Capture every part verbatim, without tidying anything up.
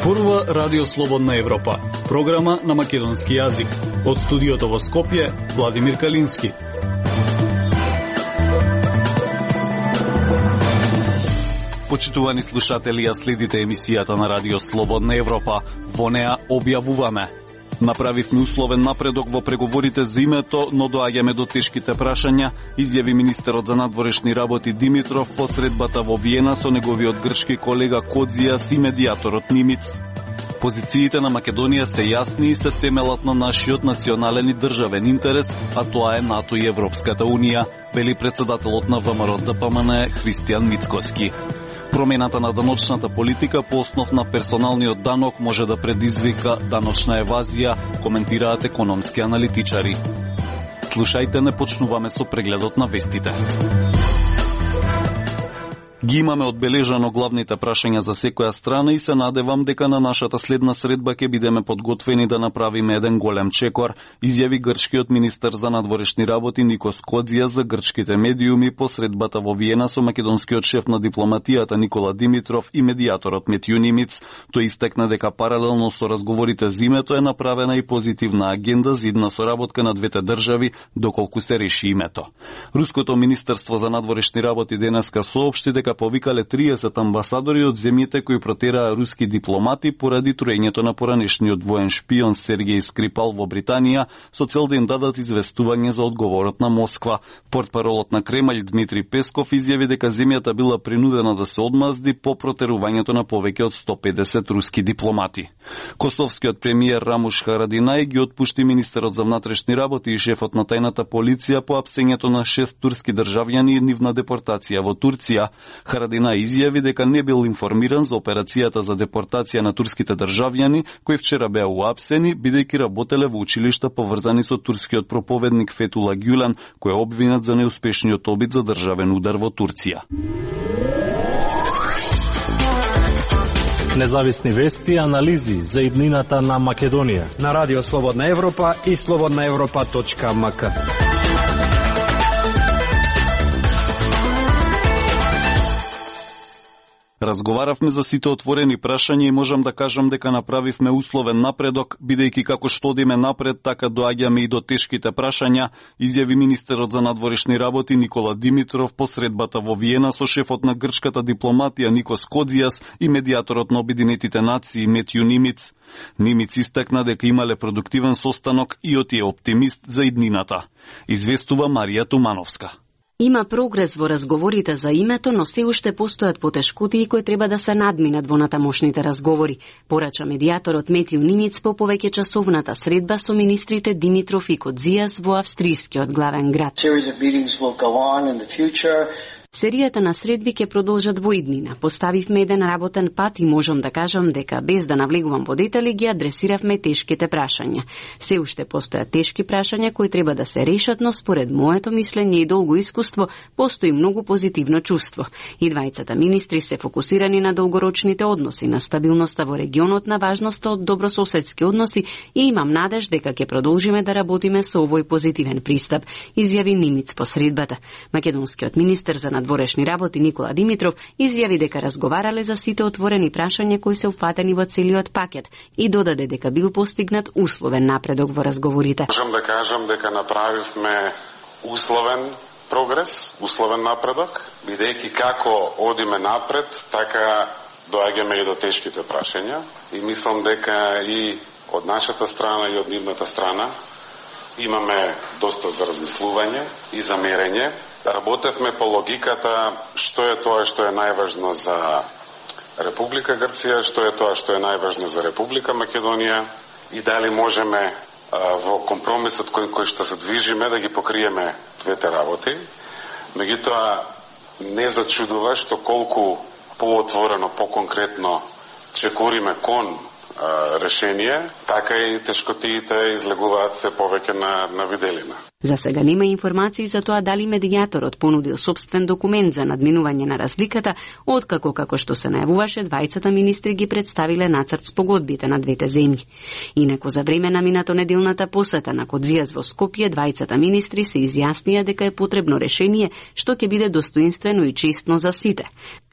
Зборува Радио Слободна Европа, програма на македонски јазик. Од студиото во Скопје, Владимир Калински. Почитувани слушатели, ја следите емисијата на Радио Слободна Европа. Во неа објавуваме: направивме условен напредок во преговорите за името, но доаѓаме до тешките прашања, изјави министерот за надворешни работи Димитров по средбата во Виена со неговиот грчки колега Кодзијас и медијаторот Нимиц. Позициите на Македонија се јасни и се темелат на нашиот национален и државен интерес, а тоа е НАТО и Европската Унија, вели председателот на ВМРО Д П М Н Христијан Мицкоски. Промената на даночната политика по основ на персоналниот данок може да предизвика даночна евазија, коментираат економски аналитичари. Слушајте, не почнуваме со прегледот на вестите. Ги имаме одбележано главните прашања за секоја страна и се надевам дека на нашата следна средба ќе бидеме подготвени да направиме еден голем чекор, изјави грчкиот министер за надворешни работи Никос Кодзијас за грчките медиуми по средбата во Виена со македонскиот шеф на дипломатијата Никола Димитров и медијаторот Метју Нимиц. Тој истакна дека паралелно со разговорите за името е направена и позитивна агенда за идна соработка на двете држави доколку се реши името. Руското министерство за надворешни работи денеска соопшти дека повикале триесет амбасадори од земјите кои протераа руски дипломати поради труењето на поранешниот воен шпион Сергеј Скрипал во Британија со цел да им дадат известување за одговорот на Москва. Портпаролот на Кремљ Дмитрий Песков изјави дека земјата била принудена да се одмазди по протерувањето на повеќе од сто педесет руски дипломати. Косовскиот премиер Рамуш Харадинај ги отпушти министерот за внатрешни работи и шефот на тајната полиција по апсењето на шест турски државјани и нивна депортација во Турција. Харадина изјави дека не бил информиран за операцијата за депортација на турските државјани, кои вчера беа уапсени, бидејќи работеле во училишта поврзани со турскиот проповедник Фетула Гюлен, кој е обвинет за неуспешниот обид за државен удар во Турција. Независни вести и анализи за иднината на Македонија на Радио Слободна Европа и слободна европа точка м к. Разговаравме за сите отворени прашања и можам да кажам дека направивме условен напредок, бидејќи како што одиме напред, така доаѓаме и до тешките прашања, изјави министерот за надворешни работи Никола Димитров по средбата во Виена со шефот на грчката дипломатија Никос Кодзијас и медијаторот на Обединетите нации Метју Нимиц. Нимиц истакна дека имале продуктивен состанок и оти е оптимист за иднината. Известува Марија Тумановска. Има прогрес во разговорите за името, но се уште постојат потешкотии кои треба да се надминат во натамошните разговори, порача медијаторот Метју Нимиц по повеќе часовната средба со министрите Димитров и Кодзијас во австрискиот главен град. Серијата на средби ќе продолжат во иднина. Поставивме еден работен пат и можам да кажам дека без да навлегувам во детали ги адресиравме тешките прашања. Се уште постојат тешки прашања кои треба да се решат, но според моето мислење и долго искуство постои многу позитивно чувство. И двајцата министри се фокусирани на долгорочните односи, на стабилноста во регионот, на важноста од добрососедски односи и имам надеж дека ќе продолжиме да работиме со овој позитивен пристап, изјави Нимиц по средбата. Македонскиот министер за надворешни работи Никола Димитров изјави дека разговарале за сите отворени прашања кои се уфатени во целиот пакет и додаде дека бил постигнат условен напредок во разговорите. Можам да кажам дека направивме условен прогрес, условен напредок, бидејќи како одиме напред, така доаѓаме и до тешките прашања и мислам дека и од нашата страна и од нивната страна имаме доста за размислување и за мерење. Работевме по логиката што е тоа што е најважно за Република Грција, што е тоа што е најважно за Република Македонија и дали можеме а, во компромисот кој, кој што се движиме да ги покриеме двете работи. Меѓутоа не зачудува што колку поотворено, поконкретно чекориме кон а, решение, така и тешкотиите излегуваат се повеќе на, на виделина. За сега нема информации за тоа дали медијаторот понудил собствен документ за надминување на разликата, откако, како што се најавуваше, двајцата министри ги представиле нацрт спогодбите на двете земји. Инаку за време на минато неделната посета на Кодзијас во Скопје, двајцата министри се изјаснија дека е потребно решение што ќе биде достоинствено и честно за сите.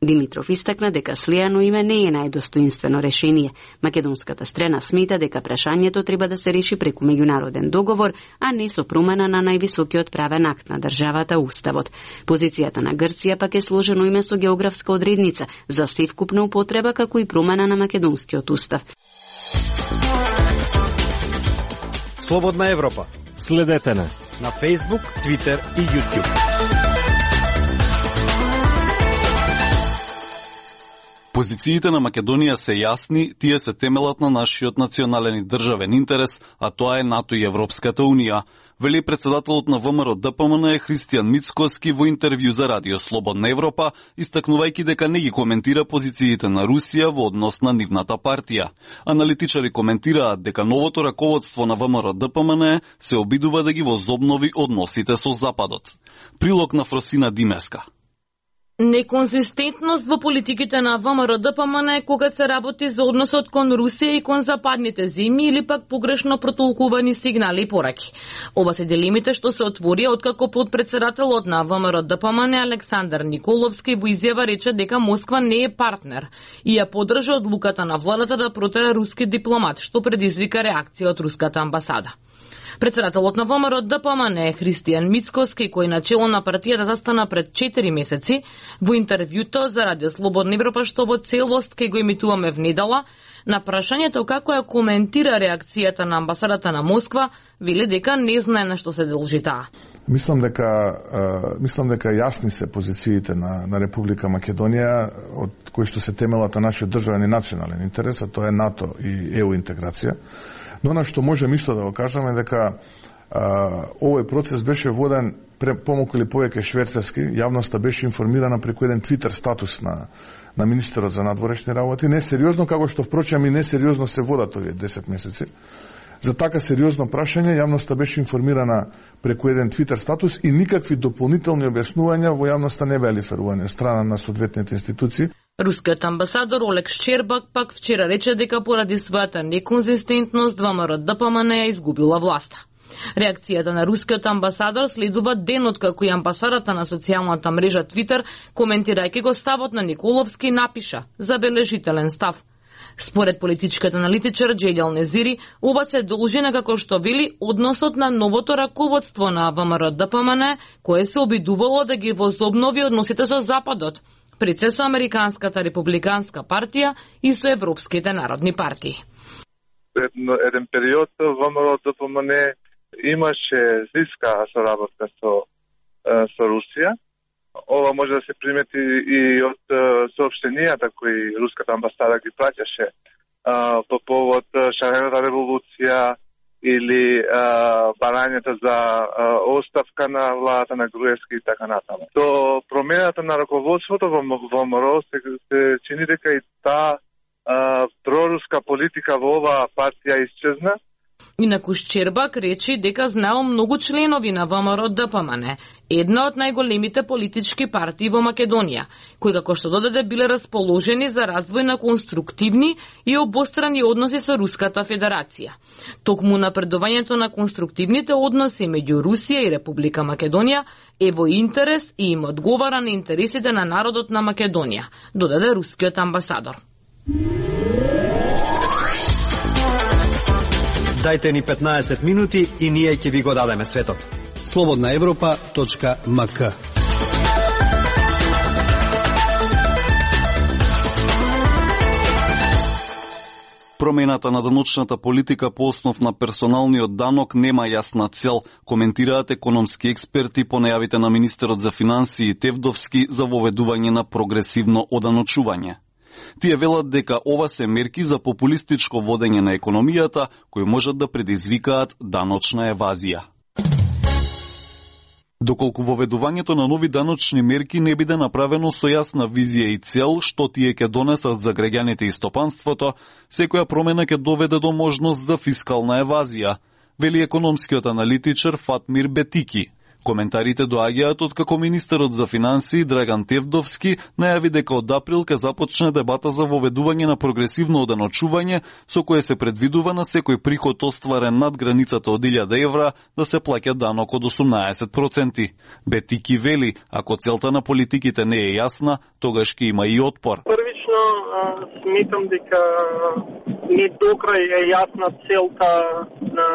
Димитров истакна дека слеано име не е најдостоинствено решение. Македонската страна смета дека прашањето треба да се реши преку меѓународен договор, а не со промена на највисокиот правен акт на државата, Уставот. Позицијата на Грција пак е сложено име со географска одредница за севкупна употреба, како и промена на македонскиот устав. Слободна Европа. Следете на на Facebook, Twitter и YouTube. Позициите на Македонија се јасни, тие се темелат на нашиот национален и државен интерес, а тоа е НАТО и Европската Унија, вели председателот на ВМРО Д П М Н Христијан Мицкоски во интервју за Радио Слободна Европа, истакнувајќи дека не ги коментира позициите на Русија во однос на нивната партија. Аналитичари коментираат дека новото раководство на ВМРО Д П М Н се обидува да ги возобнови односите со Западот. Прилог на Фросина Димеска. Неконзистентност во политиките на ВМРО Д П М Н кога се работи за односот кон Русија и кон западните земји или пак погрешно протолкувани сигнали и пораки. Оба се дилемите што се отворија откако подпредседателот на ВМРО Д П М Н Александар Николовски во изјава рече дека Москва не е партнер и ја поддржа одлуката на владата да протера руски дипломат, што предизвика реакција од руската амбасада. Председателот на ВМРО Д П М Н Христијан Мицкоски, кој начело на партијата застана пред четири месеци, во интервјуто за Радио Слободна Европа што во целост ке го емитуваме внедела, на прашањето како ја коментира реакцијата на амбасадата на Москва, вели дека не знае на што се должи таа. Мислам дека uh, мислам дека јасни се позициите на на Република Македонија, од кои што се темелат на нашиот државен и национален интерес, а тоа е НАТО и Е У интеграција. Но на што можем исто да го кажеме дека а, овој процес беше воден помалку или повеќе шверцерски, јавноста беше информирана преку еден твитер статус на на министерот за надворешни работи, не сериозно како што впрочем и не сериозно се водат овие десет месеци. За така сериозно прашање јавноста беше информирана преку еден твитер статус и никакви дополнителни објаснувања во јавноста не беа лиферувани од страна на соодветните институции. Рускиот амбасадор Олег Шчербак пак вчера рече дека поради својата неконзистентност ВМРО Д П М Н ја изгубила власта. Реакцијата на рускиот амбасадор следува ден откако и амбасадата на социјалната мрежа Твитер, коментирајќи го ставот на Николовски, напиша забележителен став. Според политичкиот аналитичар Џелјал Незири, ова се должи на, како што вели, односот на новото раководство на ВМРО Д П М Н, кое се обидувало да ги возобнови односите со Западот, пред се со Американската републиканска партија и со европските народни партии. Едно, еден период ВМРО Д П М Н имаше зиска соработка со, со Русија. Ова може да се примети и од соопштенијата кои руската амбасада ги праќаше по повод шарената револуција или а, барањето за а, оставка на владата на Груевски и така натаму. До промената на раководството во ВМРО се, се чини дека и таа проруска политика во оваа партија исчезна. Инаку Шчербак речи дека знаел многу членови на ВМРО Д П М Н, една од најголемите политички партии во Македонија, кои како што додаде биле расположени за развој на конструктивни и обострани односи со Руската Федерација. Токму напредувањето на конструктивните односи меѓу Русија и Република Македонија е во интерес и им одговара на интересите на народот на Македонија, додаде рускиот амбасадор. Дајте ни петнаесет минути и ние ќе ви го дадеме светот. слободна европа точка м к. Промената на даночната политика по основ на персоналниот данок нема јасна цел, коментираат економски експерти по најавите на министерот за финансии Тевдовски за воведување на прогресивно оданочување. Тие велат дека ова се мерки за популистичко водење на економијата, кои можат да предизвикаат даночна евазија. Доколку воведувањето на нови даночни мерки не биде направено со јасна визија и цел што тие ќе донесат за граѓаните и стопанството, секоја промена ќе доведе до можност за фискална евазија. вели економскиот аналитичар Фатмир Бетики. Коментарите доаѓаат од како министерот за финансии Драган Тевдовски најави дека од април ќе започне дебата за воведување на прогресивно оденочување со кое се предвидува на секој приход остварен над границата од илјада евра да се плаќа данок од осумнаесет проценти. Бетики вели, ако целта на политиките не е јасна, тогаш ќе има и отпор. Првично сметам дека не докрај е јасна целта на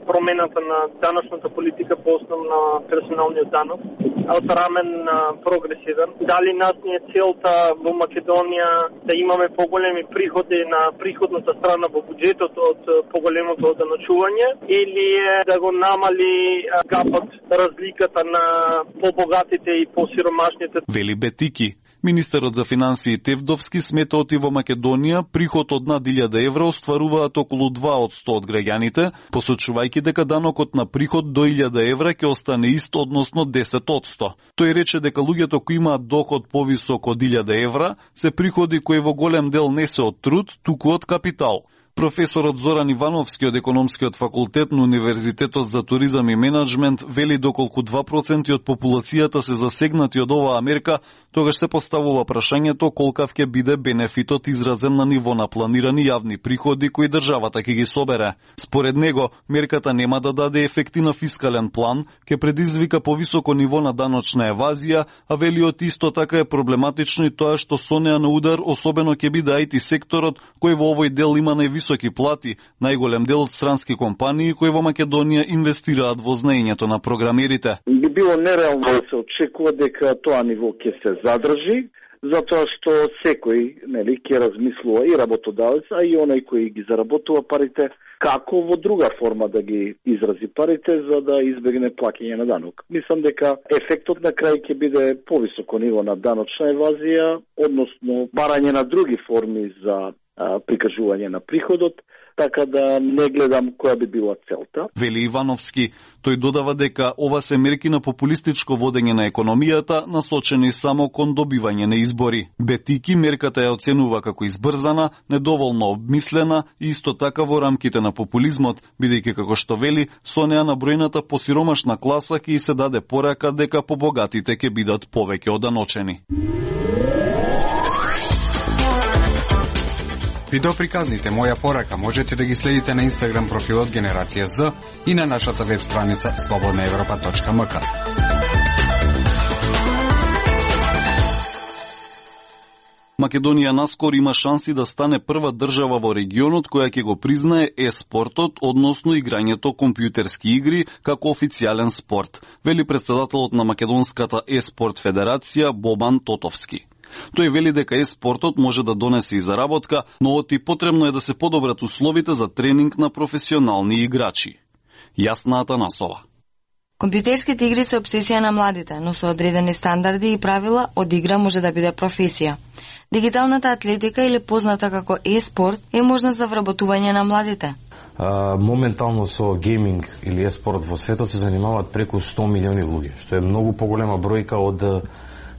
промената на даночната политика по основ на персоналниот данок, од рамен прогресивен. Дали нас не е целта во Македонија да имаме поголеми приходи на приходната страна во буџетот од поголемото оденочување, или е да го намали гапот, разликата на побогатите и посиромашните? Вели Бетики. Министерот за финансии Тевдовски смета оти во Македонија приход од над илјада евра остваруваат околу два од сто од граѓаните, посочувајќи дека данокот на приход до илјада евра ќе остане ист, односно десет од сто. Тој рече дека луѓето кои имаат доход повисок од илјада евра се приходи кои во голем дел не се од труд, туку од капитал. Професорот Зоран Ивановски од Економскиот факултет на Универзитетот за туризам и менеджмент вели доколку два проценти од популацијата се засегнати од оваа мерка, тогаш се поставува прашањето колкав ќе биде бенефитот изразен на ниво на планирани јавни приходи кои државата ќе ги собере. Според него, мерката нема да даде ефекти на фискален план, ќе предизвика повисоко ниво на даночна евазија, а велиот исто така е проблематично и тоа што со неа на удар особено ќе биде ай ти секторот кој во овој дел има највисоки плати, најголем дел од странски компании кои во Македонија инвестираат во знаењето на програмерите. Би било нереално да се очекува дека тоа ниво ќе се задржи, затоа што секој, нели, ќе размислува и работодавец, а и оној кој ги заработува парите, како во друга форма да ги изрази парите за да избегне плаќање на данок. Мислам дека ефектот на крај ќе биде повисоко ниво на даночна евазија, односно барање на други форми за а, прикажување на приходот, така да не гледам која би била целта. Вели Ивановски, тој додава дека ова се мерки на популистичко водење на економијата, насочени само кон добивање на избори. Бетики мерката ја оценува како избрзана, недоволно обмислена и исто така во рамките на популизмот, бидејќи како што вели, со неа на бројната посиромашна класа ќе се даде порака дека побогатите ќе бидат повеќе оданочени. Видеоприказните Моја порака можете да ги следите на Инстаграм профилот Генерација З и на нашата веб страница слободна европа точка ем ка. Македонија наскоро има шанси да стане прва држава во регионот која ќе го признае е-спортот, односно играњето компјутерски игри, како официјален спорт, вели претседателот на Македонската е-спорт федерација Бобан Тотовски. Тој вели дека е-спортот може да донесе и заработка, но оти потребно е да се подобрат условите за тренинг на професионални играчи. Јасна Атанасова. Компјутерските игри се обсесија на младите, но со одредени стандарди и правила од игра може да биде професија. Дигиталната атлетика или позната како е-спорт е можност за вработување на младите. А, моментално со гейминг или е-спорт во светот се занимаваат преку сто милиони луѓе, што е многу поголема бројка од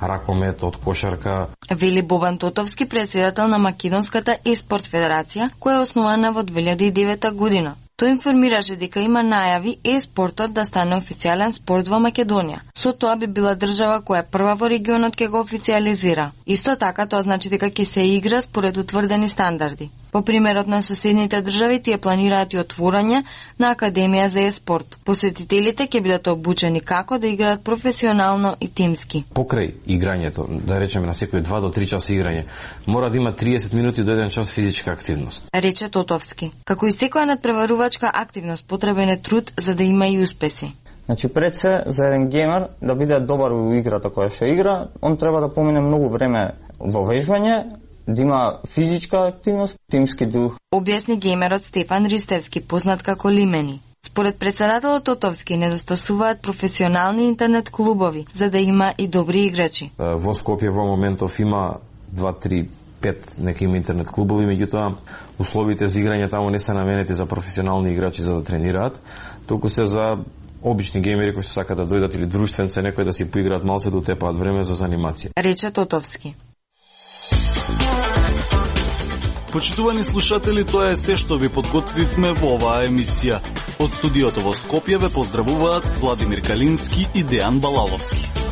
ракомет, од кошарка. Вели Бобан Тотовски, председател на Македонската е-спорт федерација, која е основана во две илјади и девета година. Тој информираше дека има најави е-спортот да стане официјален спорт во Македонија. Со тоа би била држава која прва во регионот ќе го официјализира. Исто така тоа значи дека ќе се игра според утврдени стандарди. По примерот на соседните држави, тие планираат и отворање на Академија за е-спорт. Посетителите ќе бидат обучени како да играат професионално и тимски. Покрај играњето, да речеме на секој два до три часа играње, мора да има триесет минути до еден час физичка активност. Рече Тотовски. Како и секоја надпреварувачка активност, потребен е труд за да има и успеси. Значи пред се за еден геймер да биде добар во играта која што игра, он треба да помине многу време во вежбање, да има физичка активност, тимски дух. Објасни геймерот Стефан Ристевски, познат како Лимени. Според председателот Тотовски недостасуваат професионални интернет клубови за да има и добри играчи. Во Скопје во моментов има два три пет неки интернет клубови, меѓутоа условите за играње таму не се наменети за професионални играчи за да тренираат, туку се за обични геймери кои што сакаат да дојдат или друштвенце некои да си поиграат малце да утепаат време за занимација. Рече Тотовски. Почитувани слушатели, тоа е се што ви подготвивме во оваа емисија. Од студиото во Скопје ве поздравуваат Владимир Калински и Дејан Балаловски.